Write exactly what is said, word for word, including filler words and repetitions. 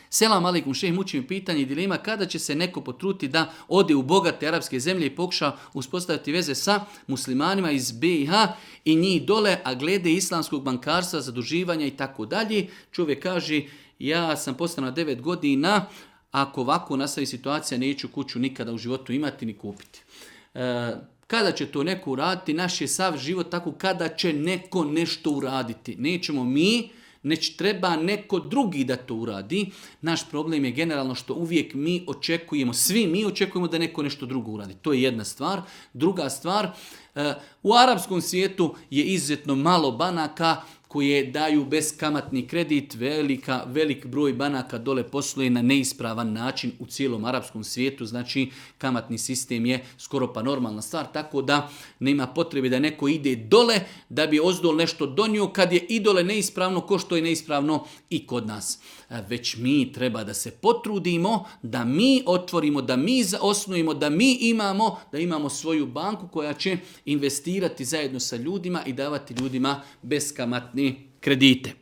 Selam alaikum, šejh, muči mi pitanje i dilema kada će se neko potruti da ode u bogate arapske zemlje i pokuša uspostaviti veze sa muslimanima iz B i H i njih dole, a glede islamskog bankarstva, zaduživanja i tako dalje. Čovjek kaže, ja sam postao na devet godina, ako ovako nastavi situacija, neću kuću nikada u životu imati ni kupiti. E, kada će to neko uraditi? Naš je sav život tako kada će neko nešto uraditi. Nećemo mi, neć treba neko drugi da to uradi. Naš problem je generalno što uvijek mi očekujemo, svi mi očekujemo da neko nešto drugo uradi. To je jedna stvar. Druga stvar, u arapskom svijetu je izuzetno malo banaka koje daju beskamatni kredit. Velika, velik broj banaka dole posluje na neispravan način u cijelom arapskom svijetu. Znači, kamatni sistem je skoro pa normalna stvar, tako da nema potrebe da neko ide dole da bi ozdol nešto donio kad je i dole neispravno ko što je neispravno i kod nas. Već mi treba da se potrudimo, da mi otvorimo, da mi osnujemo, da mi imamo, da imamo svoju banku koja će investirati zajedno sa ljudima i davati ljudima beskamatni kredite.